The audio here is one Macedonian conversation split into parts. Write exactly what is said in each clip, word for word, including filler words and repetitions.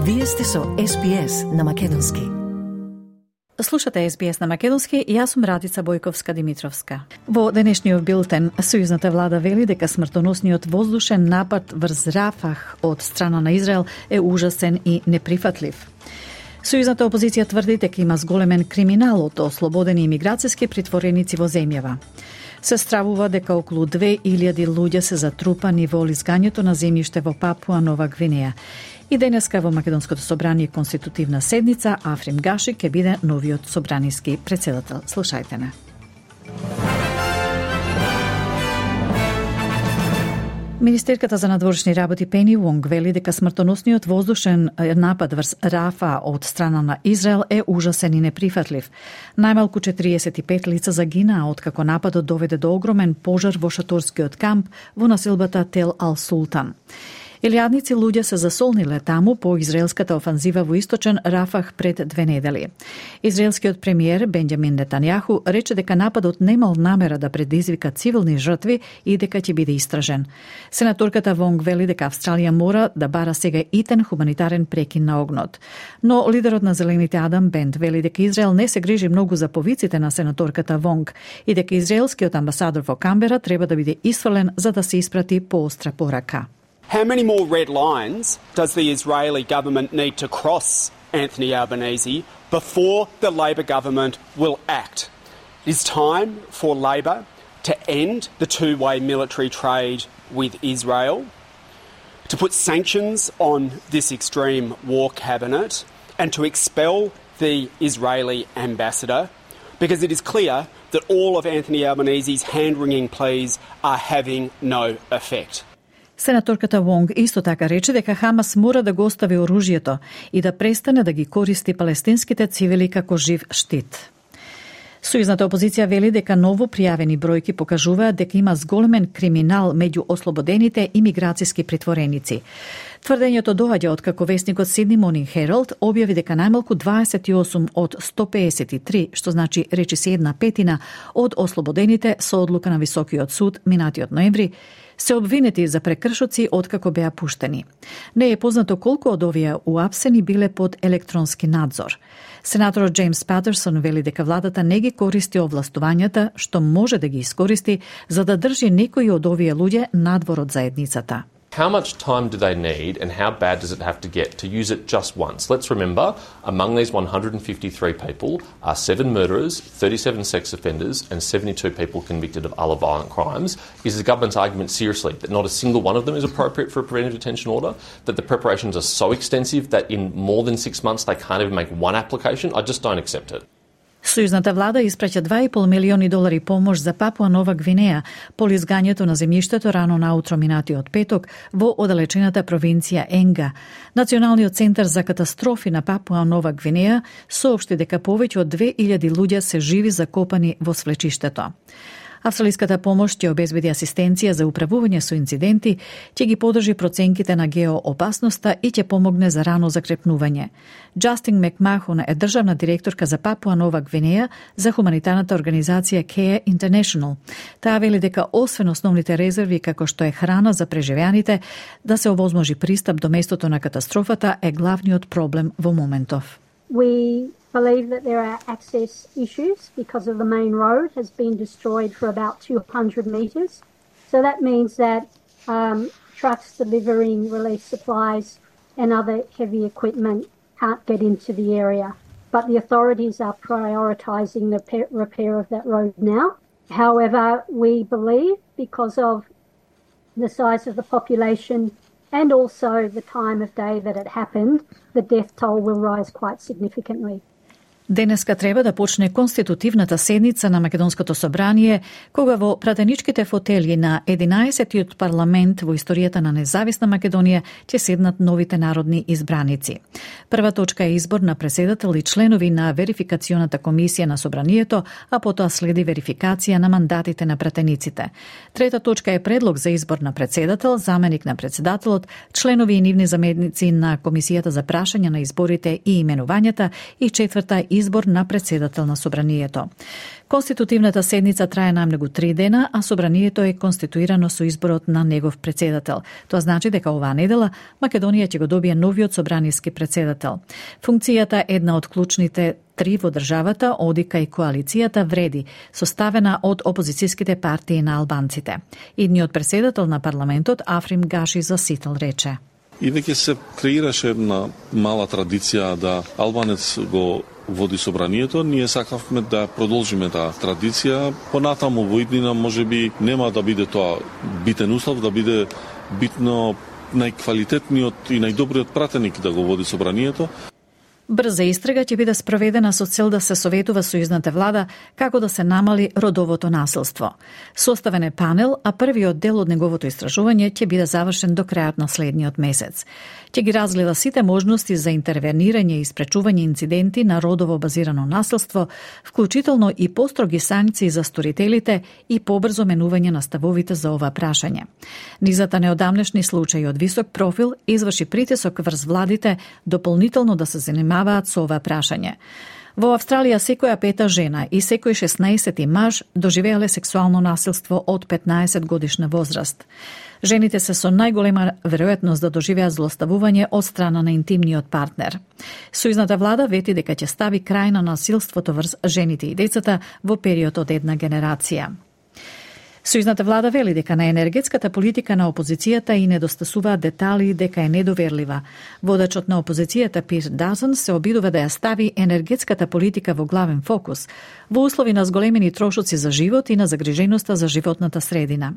Вие сте со Ес Би Ес на Македонски. Слушате Ес Би Ес на Македонски и јас сум Радица Бојковска-Димитровска. Во денешниот билтен, сојузната влада вели дека смртоносниот воздушен напад врз Рафах од страна на Израел е ужасен и неприфатлив. Сојузната опозиција тврди дека има зголемен криминал од ослободени имиграцијски притвореници во земјава. Се стравува дека околу две илјади луѓе се затрупани во лизгањето на земјиште во Папуа Нова Гвинеја. И денеска во Македонското собрание конститутивна седница Африм Гаши ќе биде новиот собраниски председател. Слушајте не. Министерката за надворешни работи Пени Вонг вели дека смртоносниот воздушен напад врз Рафа од страна на Израел е ужасен и неприфатлив. Најмалку четириесет и пет лица загинаа откако нападот доведе до огромен пожар во шаторскиот камп во населбата Тел Ал Султан. Илјадници луѓе се засолниле таму по израелската офанзива во источен Рафах пред две недели. Израелскиот премиер Бенџамин Нетањаху рече дека нападот немал намера да предизвика цивилни жртви и дека ќе биде истражен. Сенаторката Вонг вели дека Австралија мора да бара сега итен хуманитарен прекин на огнот. Но лидерот на Зелените Адам Бент вели дека Израел не се грижи многу за повиците на сенаторката Вонг и дека израелскиот амбасадор во Камбера треба да биде исфрлен за да се испрати поостра порака. How many more red lines does the Israeli government need to cross, Anthony Albanese, before the Labor government will act? It is time for Labor to end the two-way military trade with Israel, to put sanctions on this extreme war cabinet, and to expel the Israeli ambassador, because it is clear that all of Anthony Albanese's hand-wringing pleas are having no effect. Сенаторката Вонг исто така рече дека Хамас мора да го остави оружјето и да престане да ги користи палестинските цивили како жив штит. Сојузната опозиција вели дека ново пријавени бројки покажуваат дека има зголемен криминал меѓу ослободените имиграцијски притвореници. Тврдењето доаѓа од како весникот Сидни Morning Herald објави дека најмалку дваесет и осум од сто пеесет и три, што значи речиси една петина од ослободените со одлука на Високиот суд минатиот ноември, се обвинети за прекршоци откако беа пуштени. Не е познато колку од овие уапсени биле под електронски надзор. Сенаторот Джеймс Патерсон вели дека владата не ги користи овластувањата што може да ги искористи за да држи некои од овие луѓе надвор од заедницата. How much time do they need and how bad does it have to get to use it just once? Let's remember, among these one hundred fifty-three people are seven murderers, thirty-seven sex offenders and seventy-two people convicted of other violent crimes. Is the government's argument seriously that not a single one of them is appropriate for a preventive detention order? That the preparations are so extensive that in more than six months they can't even make one application? I just don't accept it. Сојузната влада испраќа два и пол милиони долари помош за Папуа Нова Гвинеја по лизгањето на земјиштето рано наутро минатиот петок во оддалечената провинција Енга. Националниот центар за катастрофи на Папуа Нова Гвинеја соопшти дека повеќе од две илјади луѓе се живи закопани во свлечиштето. Австралиската помош ќе обезбеди асистенција за управување со инциденти, ќе ги подржи проценките на геоопасноста и ќе помогне за рано закрепнување. Джастин Макмахон е државна директорка за Папуа Нова Гвинеја за хуманитарната организација Care International. Таа вели дека освен основните резерви како што е храна за преживеаните, да се овозможи пристап до местото на катастрофата е главниот проблем во моментов. We believe that there are access issues because of the main road has been destroyed for about two hundred metres. So that means that um, trucks delivering relief supplies and other heavy equipment can't get into the area. But the authorities are prioritising the repair of that road now. However, we believe because of the size of the population and also the time of day that it happened, the death toll will rise quite significantly. Денеска треба да почне конститутивната седница на Македонското собрание, кога во пратеничките фотели на единаесеттиот парламент во историјата на независна Македонија ќе седнат новите народни избраници. Прва точка е избор на председател и членови на верификационата комисија на собранието, а потоа следи верификација на мандатите на пратениците. Трета точка е предлог за избор на председател, заменик на председателот, членови и нивни заменици на комисијата за прашање на изборите и именувањата и четврта избор на председател на собранието. Конститутивната седница трае најмногу три дена, а собранието е конституирано со изборот на негов председател. Тоа значи дека оваа недела Македонија ќе го добие новиот собраниски председател. Функцијата е една од клучните три во државата, одика и коалицијата вреди, составена од опозицијските партии на албанците. Идниот председател на парламентот Африм Гаши за Сител рече: И веќе се креираше една мала традиција да албанец го води собранието. Ние сакавме да продолжиме таа традиција. Понатаму во иднина можеби нема да биде тоа битен услов, да биде битно најквалитетниот и најдобриот пратеник да го води собранието. Брза истрага ќе биде спроведена со цел да се советува сојузната влада како да се намали родовото насилство. Составен е панел, а првиот дел од неговото истражување ќе биде завршен до крајот на следниот месец. Ќе ги разгледа сите можности за интервенирање и спречување инциденти на родово базирано насилство, вклучително и построги санкции за сторителите и побрзо менување на ставовите за ова прашање. Низата неодамнешни случаи од висок профил изврши притисок врз владите дополнително да се занимаваат со ова прашање. Во Австралија секоја пета жена и секој шеснаесети маж доживеале сексуално насилство од петнаесет годишна возраст. Жените се со најголема веројатност да доживеат злоставување од страна на интимниот партнер. Сојузната влада вети дека ќе стави крај на насилството врз жените и децата во период од една генерација. Сојузната влада вели дека на енергетската политика на опозицијата и недостасуваат детали дека е недоверлива. Водачот на опозицијата Пир Дазен се обидува да ја стави енергетската политика во главен фокус, во услови на зголемени трошоци за живот и на загриженоста за животната средина.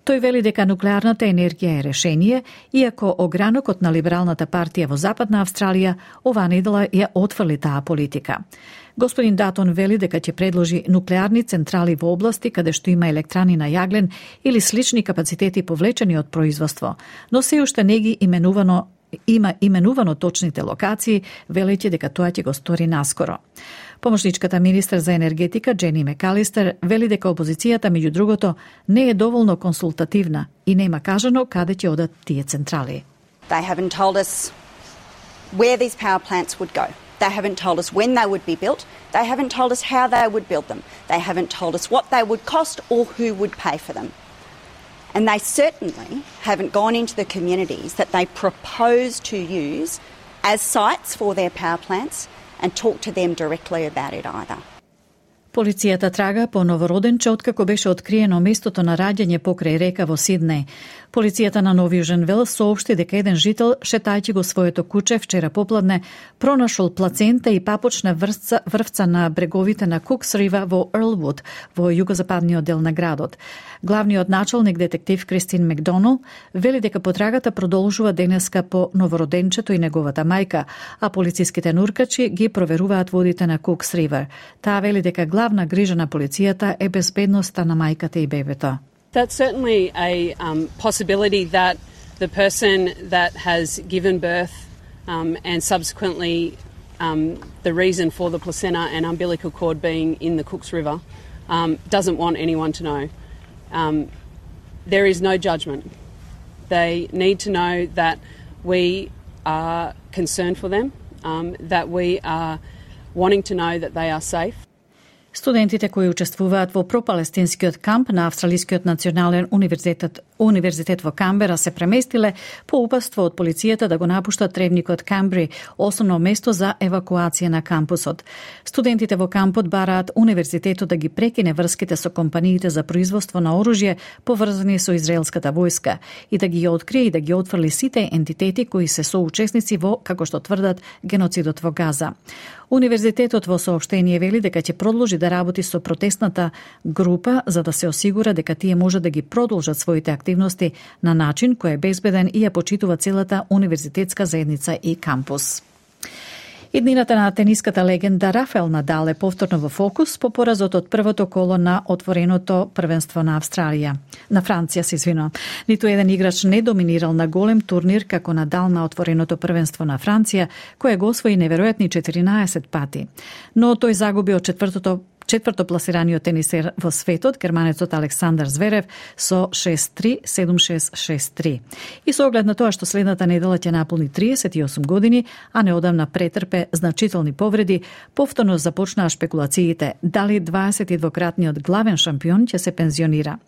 Тој вели дека нуклеарната енергија е решение, иако огранокот на Либералната партија во Западна Австралија оваа недела ја отфрли таа политика. Господин Датон вели дека ќе предложи нуклеарни централи во области каде што има електрани на јаглен или слични капацитети повлечени од производство, но се уште не ги именувано има именувано точните локации, велејќи дека тоа ќе го стори наскоро. Помошничката министер за енергетика Джени Мекалистер вели дека опозицијата меѓу другото не е доволно консултативна и нема кажано каде ќе одат тие централи. They haven't told us where these power plants would go. They haven't told us when they would be built. They haven't told us how they would build them. They haven't told us what they would cost or who would pay for them. And they certainly haven't gone into the communities that they propose to use as sites for their power plants and talk to them directly about it either. Полицијата трага по новороденче откако беше откриено местото на раѓање покрај река во Сиднеј. Полицијата на Нов Јужен Велс соопшти дека еден жител, шетајќи го своето куче вчера попладне, пронашол плацента и папочна врвца, врвца на бреговите на Кукс Рива во Ерлвуд, во југозападниот дел на градот. Главниот началник детектив Кристин Макдонал вели дека потрагата продолжува денеска по новороденчето и неговата мајка, а полициските нуркачи ги проверуваат водите на Кукс Ривер. Таа вели дека главна грижа на полицијата е безбедноста на мајката и бебето. That's certainly a um, possibility that the person that has given birth um, and subsequently um, the reason for the placenta and umbilical cord being in the Cooks River um, doesn't want anyone to know. Um, there is no judgment. They need to know that we are concerned for them, um, that we are wanting to know that they are safe. Студентите кои учествуваат во пропалестинскиот камп на Австралискиот национален универзитет, универзитет во Камбера се преместиле по упатство од полицијата да го напуштат тревникот Камбри, основно место за евакуација на кампусот. Студентите во кампот бараат универзитетот да ги прекине врските со компаниите за производство на оружје поврзани со израелската војска и да ги открие и да ги отфрли сите ентитети кои се соучесници во, како што тврдат, геноцидот во Газа. Универзитетот во соопштение вели дека ќе продолжи да работи со протестната група за да се осигура дека тие може да ги продолжат своите активности на начин кој е безбеден и ја почитува целата универзитетска заедница и кампус. Иднината на тениската легенда Рафаел Надал е повторно во фокус по поразот од првото коло на отвореното првенство на Австралија. На Франција, се извинувам. Ниту еден играч не доминирал на голем турнир како Надал на отвореното првенство на Франција, кој го освои неверојатни четиринаесет пати. Но тој загуби од четвртото четврто пласираниот тенисер во светот, германецот Александар Зверев, со шест три седум шест шест три. И со оглед на тоа што следната недела ќе наполни триесет и осум години, а неодамна претрпе значителни повреди, повторно започнаа шпекулациите дали дваесет и двократниот главен шампион ќе се пензионира.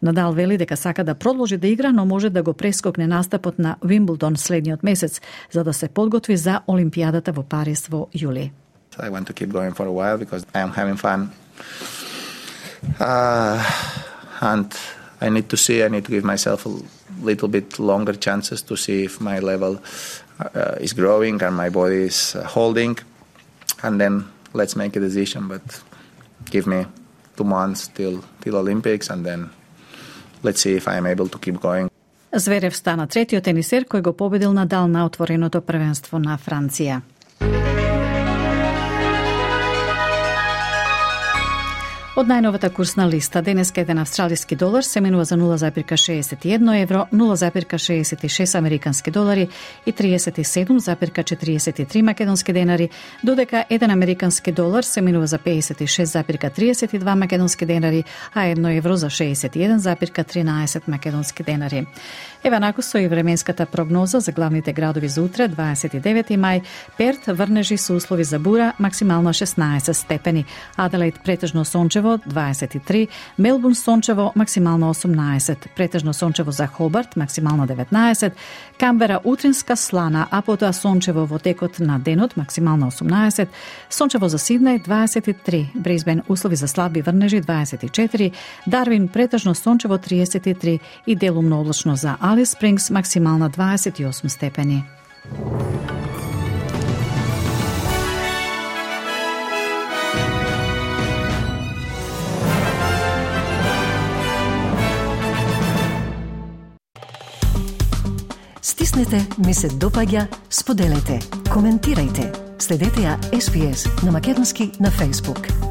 Надал вели дека сака да продолжи да игра, но може да го прескокне настапот на Вимблдон следниот месец, за да се подготви за Олимпијадата во Париз во јули. I want to keep going for a while because I am having fun. Uh, and I need to see, I need to give myself a little bit longer chances to see if my level uh, is growing and my body is uh, holding. And then let's make a decision. But give me two months till, till Olympics and then let's see if I am able to keep going. Зверев стана третиот тенисер кој го победил Надал на отвореното првенство на Франција. Од најновата курсна листа, денеска еден австралиски долар се менува за нула запирка шеесет и едно евро, нула запирка шеесет и шест американски долари и триесет и седум запирка четириесет и три македонски денари, додека еден американски долар се менува за пеесет и шест запирка триесет и два македонски денари, а едно евро за шеесет и еден запирка тринаесет македонски денари. Ева наку со и временската прогноза за главните градови за утре, дваесет и девети мај, Перт врнежи со услови за бура, максимално шеснаесет степени, Аделаид претежно сончево, дваесет и три, Мелбурн сончево, максимално осумнаесет, претежно сончево за Хобарт, максимално деветнаесет, Камбера утринска слана, а потоа сончево во текот на денот, максимално осумнаесет, сончево за Сиднеј, дваесет и три, Брисбен услови за слаби врнежи, дваесет и четири, Дарвин претежно сончево, триесет и три и делумно облачно за Алис Спрингс, максимална дваесет и осум степени. Стиснете, ми се допаѓа, споделете, коментирајте. Следете ја Ес Би Ес на македонски на Facebook.